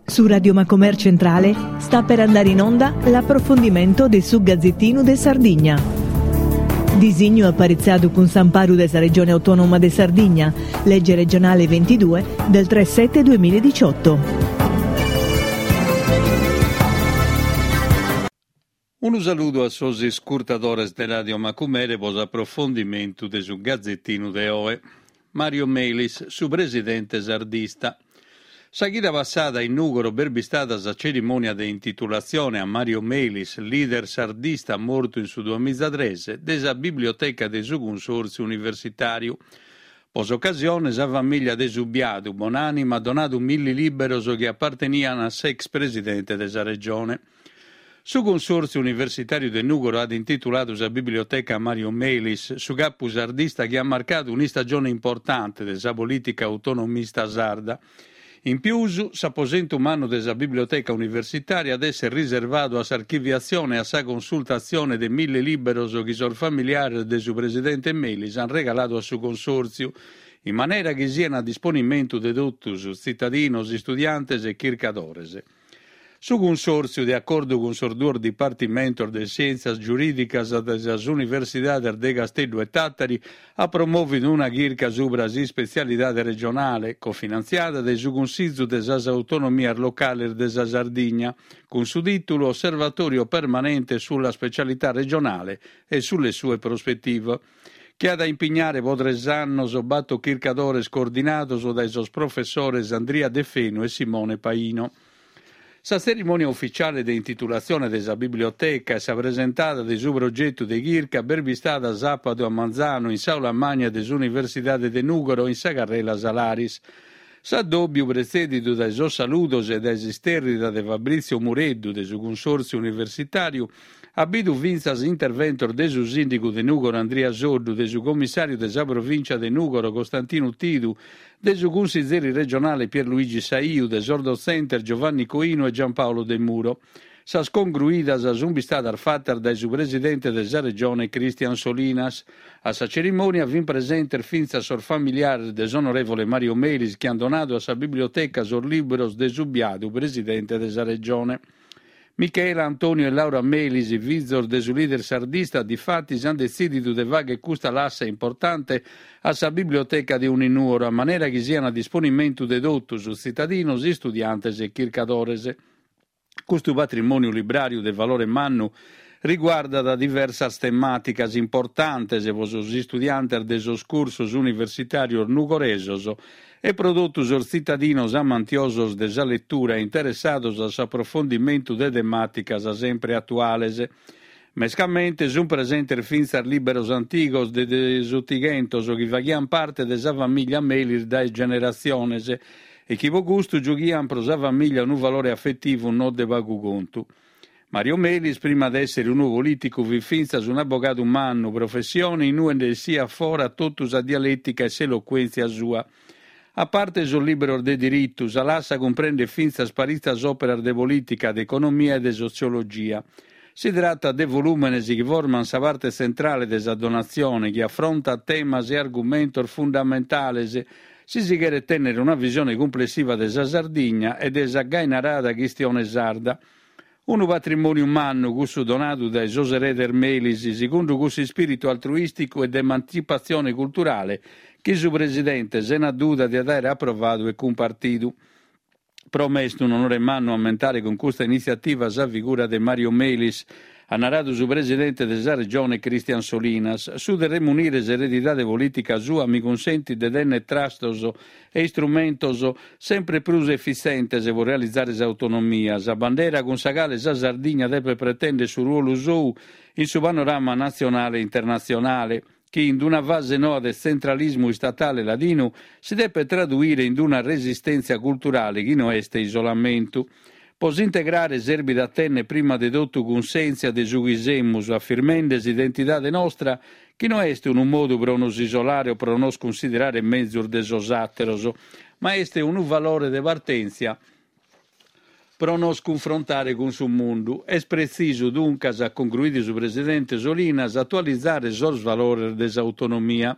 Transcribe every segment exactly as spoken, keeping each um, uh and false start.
Su Radio Macomer Centrale sta per andare in onda l'approfondimento de su Gazzettinu de Sardigna. Disignu aparitzadu cun s'amparu de sa Regione Autonoma de Sardigna, legge regionale ventidue del tre sette duemiladiciotto. Unu saludu a sos iscurtadores de Radio Macumere pro s'aprofondimentu de su Gazzettinu de oe. Mario Melis, su presidente sardista. Sa chida passada in Nùgoro b'est bistada sa cerimònia de intitulatzione a Mario Melis, leader sardista mortu in su duamizatres, de sa biblioteca de su Cunsòrtziu Universitàriu. Pro s'ocasione sa famìllia de su biadu bonànima at donadu milli lìberos chi apartenian a s'ex presidente de sa Regione. Su Cunsòrtziu Universitàriu de Nùgoro at intituladu sa biblioteca a Mario Melis, su capu sardista chi at marcadu un'istagione importante de sa polìtica autonomista sarda. In pius, s'aposentu mannu de sa biblioteca universitària at èssere riservadu a s'archiviatzione e a sa consultatzione de mille lìberos chi sos familiares de su presidente Melis ant regaladu a su Consòrtziu, in manera chi sian a disponimentu de totus, tzitadinos, istudiantes e chircadores. Su Cunsòrtziu, de acordu cun sos duos dipartimentos de Sièntzias Giurìdicas de sas Universidades de Casteddu e Tàtari, at promòvidu una chirca subra s'ispetzialidade regionale, cofinantziada dae su Cunsìgiu de sas Autonomias Locales de sa Sardigna, cun su tìtulu Osservatorio permanente sulla specialità regionale e sulle sue prospettive, chi at a impignare pro tres annos bator chircadores coordinados dae sos professores Andria Deffenu e Simone Paino. Sa tzerimònia ufitziale de intitulatzione de sa biblioteca e sa presentada de su progetu de chirca b'est bistada sàpadu a manzanu in s'Aula Magna de s'Universidade de Nùgoro in sa carrela Salaris. S'addòbiu, pretzèdidu dae sos saludos e dae s'istèrrida de Fabrizio Mureddu de su Cunsòrtziu Universitàriu, at bidu fintzas interventos de su sìndigu de Nùgoro Andria Soddu, de su commissàriu de sa provìncia de Nùgoro Costantinu Tidu, de su cunsizeri regionale Pierluigi Saiu, de sos dotzentes Giovanni Coinu e Giampaolo Demuro. Sas congruidas sunt bistadas fatas dae su presidente de sa Regione Christian Solinas. A sa cerimònia fin presentes fintzas sos familiares de s'onorèvole Mario Melis chi ant donadu a sa biblioteca sos libros de su biadu presidente de sa Regione. Michela, Antonio e Laura Melis, fizos de su leader sardista, difatis ant detzìdidu de fàghere custa lassa importante a sa biblioteca de Uninuoro, a manera chi sian a disponimentu de totus, tzitadinos, istudiantes e chircadores. Custu patrimòniu libràriu de valore mannu riguardat diversas temàticas importantes pro sos istudiantes de sos cursos universitàrios nugoresos e pro totu sos tzitadinos amantiosos de sa letura e interessados a s'aprofondimentu de temàticas sempre atuales. Mescamente sunt presentes fintzas lìberos antigos de de s'Otighentos chi faghiant parte de sa famìllia Melis dae generatziones e chi pro custu giughiant pro sa famìllia unu valore afetivu no de pagu contu. Mario Melis, prima de èssere unu polìticu, fit fintzas un'abogadu mannu, professione in ue nde essiat fora totu sa dialètica e s'elocuèntzia sua. A parte sos lìberos de diritu, sa lassa cumprendet fintzas paritzas òperas de polìtica, de economia e de sotziologia. Si tratat de volùmenes chi formant sa parte tzentrale de sa donatzione, chi afrontat temas e argumentos fundamentales si si cheret tènnere una visione cumplessiva de sa Sardigna e de sa gai narada chistione sarda. Unu patrimòniu mannu, cussu donadu dae sos eredes Melis, segundu cussu ispìritu altruìsticu e de emantzipatzione culturale chi su presidente, sena duda, diat àere aprovadu e cumpartidu. Pro me est un'onore mannu ammentare cun custa initziativa sa figura de Mario Melis, at naradu su presidente de sa Regione Christian Solinas. Su de remunire s'eredidade polìtica sua mi cunsentit de tènnere trastos e istrumentos sempre prus efitzentes pro realizare s'autonomia, sa bandera cun sa cale sa Sardigna depet pretèndere su ruolu sou in su panorama natzionale e internatzionale, chi in una fase noa de tzentralismu istatale ladinu si depet traduire in una resistèntzia culturale chi no est isolamentu. Pro s'integrare serbit a tènnere prima de totu cunsèntzia de su chi semus, afirmende s'identidade nostra, chi no est unu modu pro nos isolare o pro nos cunsiderare mezus de sos àteros, ma est unu valore de partèntzia pro nos cunfrontare cun su mundu. Est pretzisu, duncas, at congruidu su presidente Solinas, atualizare sos valores de s'autonomia.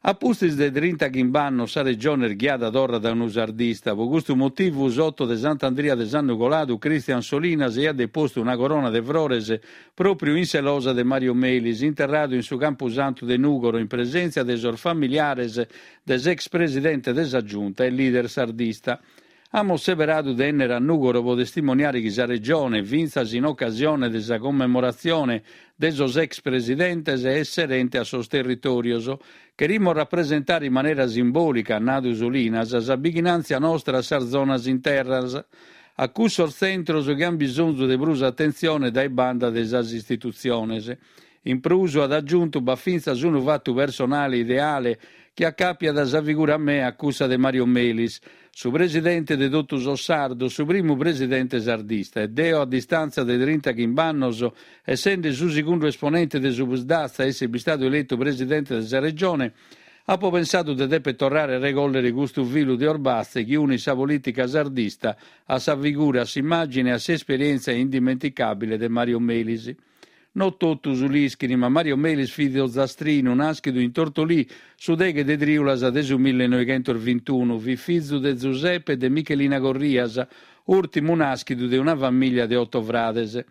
A pustis de trintachimb'annos sa Regione est ghiada torra dae unu sardista. Pro custu motivu s'oto de Sant'Andria de s'annu coladu Christian Solinas aiat depostu una corona de frores pròpriu in sa losa de Mario Melis, interradu in su Campusantu de Nùgoro in presèntzia de sos familiares de s'ex presidente de sa Giunta e leader sardista. Amus seberadu de 'ennere a Nùgoro pro testimoniare chi sa Regione, fintzas in ocasione de sa commemoratzione de sos ex presidentes, est serente a sos territòrios. Cherimus rapresentare in manera simbòlica, at nadu Solinas, sa bighinàntzia nostra a sas zonas internas, a cussos tzentros chi ant bisonzu de prus atentzione dae banda de sas istitutziones. In prus, at agiuntu, b'at fintzas unu fatu personale ideale chi acàpiat sa figura mea a cussa de Mario Melis, su presidente de totu sos sardos, su primu presidente sardista, e deo a distàntzia de trintachimb'annos, essende su segundu esponente de su Psd'Az a èssere bistadu eletu presidente de sa Regione, apo pensadu de dèpere torrare a regòllere custu filu de orbatze chi unit sa polìtica sardista a sa figura, a s'immàgine e a s'esperièntzia indimenticàbile de Mario Melis. No totus l'ischin, ma Mario Melis fit ozastrinu, nàschidu in Tortolì su deghe de trìulas de su millenoighentos vintunu. Fit fizu de Zuseppe e de Michelina Corrias, ùrtimu nàschidu de una famìllia de oto frades.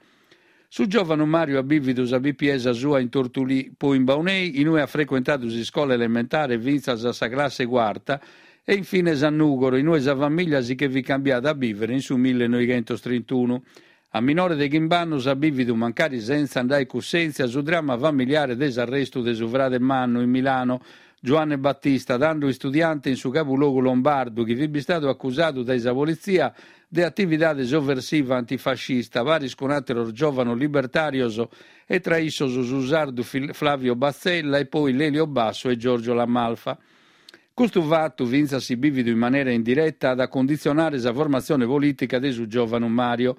Su giòvanu Mario at bìvidu sa pipiesa sua in Tortolì, poi in Baunei, in ue at frecuentadu s'iscola elementare fintzas a sa classe cuarta, e infines a Nùgoro, in ue sa famìllia si che fit cambiada a bìvere in su millenoighentos trintunu. A minore de chimb'annos at bìvidu, mancari sentza nd'aer cussèntzia, su dramma familiare de s'arrestu de su frade mannu in Milano, Giuanne Battista, tando istudiante in su cabulogu lombardu, chi fit bistadu acusadu dae sa politzia de atividade sovversiva antifascista, paris cun àteros giòvanos libertàrios e tra issos su sardu Flavio Batzella e poi Lelio Basso e Giorgio La Malfa. Custu fatu, fintzas si bìvidu in manera indireta, at a cunditzionare sa formatzione polìtica de su giòvanu Mario.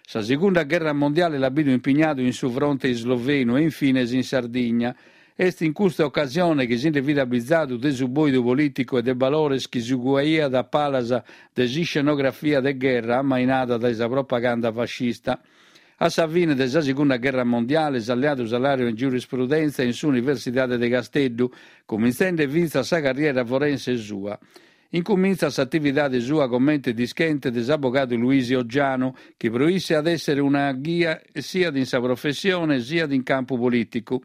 Sa Segunda Gherra Mondiale l'at bidu impignadu in su fronte islovenu e infines in Sardigna. Est in custa ocasione chi si nde fit abizadu de su bòidu polìticu e de balores chi si cuaiat a palas de s'iscenografia de gherra ammainada dae sa propaganda fascista. A sa fine de sa Segunda Gherra Mondiale s'at leadu sa làurea in giurisprudèntzia in s'Universidade de Casteddu, cumintzende fintzas sa carriera forense sua. Incumintzat s'atividade sua comente dischente de s'abogadu Luisi Oggianu, chi pro isse at èssere una ghia siat in sa professione siat in campu polìticu.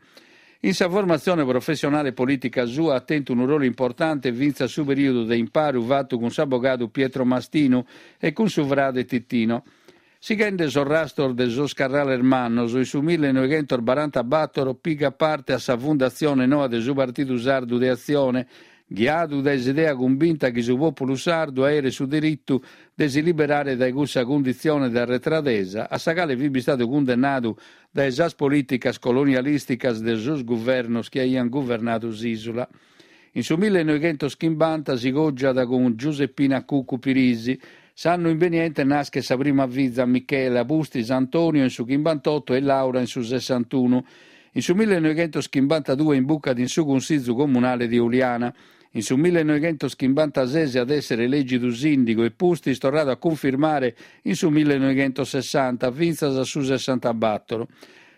In sa formatzione professionale e polìtica sua at tentu unu rolu importante fintzas su perìodu de imparu fatu cun s'abogadu Pietro Mastinu e cun su frade Titino. Sighende sos rastos de sos carrales mannos, in su millenoighentos barantabator pigat parte a sa fundatzione noa de su Partidu Sardu de Atzione, ghiadu dae s'idea cumbinta chi su pòpulu sardu aeret su diritu de si liberare dae cussa cunditzione de arretradesa a sa cale fit bistadu cundennadu dae sas polìticas colonialìsticas de sos guvernos chi aiant guvernadu s'ìsula. In su millenoighentos chimbanta si cògiat cun Giuseppina Cuccu Pirisi. S'annu imbeniente naschet sa prima fiza Michela, pustis Antonio in su chimbantotto e Laura in su sessantunu. In su millenoighentos chimbantadue imbucat in su Cunsìgiu Comunale de Uliana. In su millenoighentos chimbantases at èssere elègidu sìndigu e pustis torradu a cunfirmare in su millenoighentos sessanta fintzas a su sessantabator.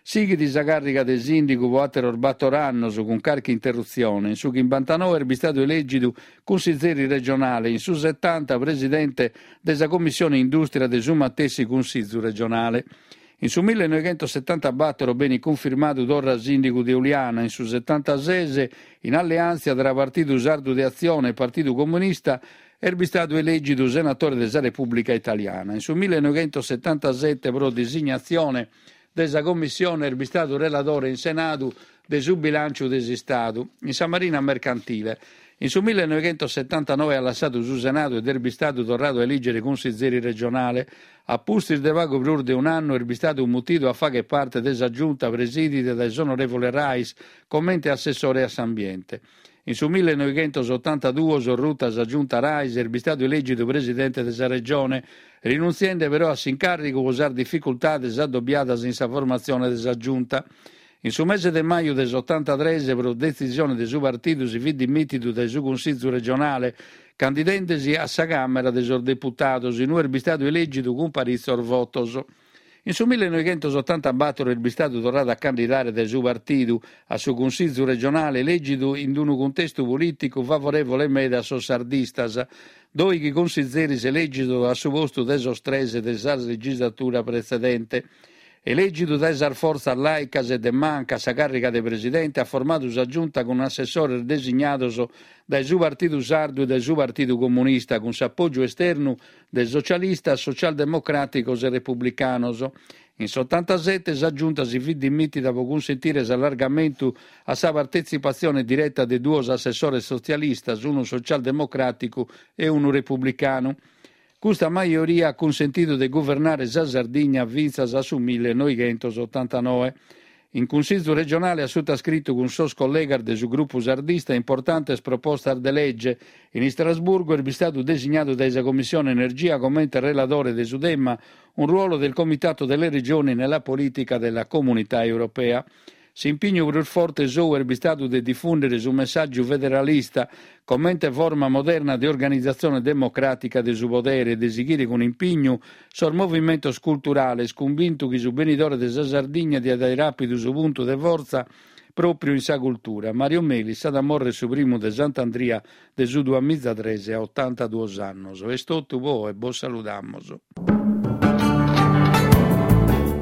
Sighit sa càrriga de sìndigu pro àteros bator annos, cun carchi interrutzione. In su chimbantanoe est bistadu elègidu cunsizeri regionale, in su setanta presidente de sa Commissione Indùstria de su matessi Cunsìgiu regionale. In su millenoighentos setantabator benit cunfirmadu torra sìndigu de Uliana, in su setantases, in alleàntzia tra Partidu Sardu de Atzione e Partidu Comunista, est bistadu elègidu senatore de sa Repùblica Italiana. In su millenoighentos setantasete pro disignatzione de sa Commissione est bistadu reladore in Senadu de su bilànciu de s'Istadu in sa Marina Mercantile. In su millenoighentos setantanoe at lassadu su Senadu ed est bistadu torradu a elìgere cunsizeri regionale. A pustis de pagu prus de un'annu est bistadu mutidu a fàghere parte de sa Giunta presidida dae s'onorèvole Rais comente assessore a s'ambiente. In su millenoighentos otantaduos, ruta sa Giunta Rais, est bistadu elègidu presidente de sa Regione, rinuntziende però a s'incàrrigu pro sas dificultades adobiadas in sa formatzione de sa Giunta. In su mese de maju de s'otantatres, pro detzisione de su partidu, si fit dimìtidu dae su Cunsìgiu regionale, candidende-si a sa Càmera de sos Deputados, in ue est bistadu elègidu cun paritzos votos. In su millenoighentosotantabattor est bistadu torradu a candidare dae su partidu a su Cunsìgiu regionale elègidu in unu cuntestu polìticu favorèvole meda a sos sardistas, dòighi consizeris elègidos a su postu de sos tres de sa legislatura pretzedente. Elègidu dae sas fortzas làicas e de manca a sa càrriga de presidente, at formadu sa giunta cun assessores designados dae su Partidu Sardu e dae su Partidu Comunista, cun s'apògiu esternu de socialistas, socialdemocràticos e republicanos. In s'otantasete sa giunta si fit dimìtida pro cunsentire s'allargamentu a sa partetzipatzione direta de duos assessores sotzialistas, unu socialdemocràticu e unu republicanu. Custa majoria at cunsentidu de guvernare sa Sardigna fintzas a su millenoighentosottantanoe. In Cunsìgiu regionale at sutascritu cun sos collegas de su grupu sardista importantes propostas de lege. In Istrasburgo est bistadu designadu dae sa Commissione Energia comente reladore de su tema un ruolo del Comitato delle Regioni nella politica della Comunità Europea. S'impignu prus forte sou est bistadu de difùndere su messàgiu federalista comente forma moderna de organizatzione democràtica de su podere e de sighire cun impignu sos movimentos culturales, cumbintu chi su benidore de sa Sardigna diat àere àpidu su puntu de fortza pròpiu in sa cultura. Mario Melis at a mòrrere su primu de Sant'Andria de su duamizatres a otantaduos annos. Est totu po oe, bos saludamus.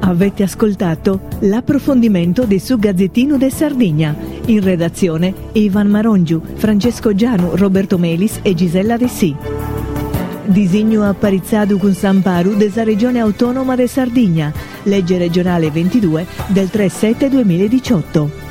Avete ascoltato l'approfondimento di su Gazzettino de Sardigna. In redazione Ivan Marongiu, Francesco Gianu, Roberto Melis e Gisella Dessì. Disignu aparitzadu cun s'amparu de sa Regione Autonoma de Sardigna, legge regionale ventidue del tre sette duemiladiciotto.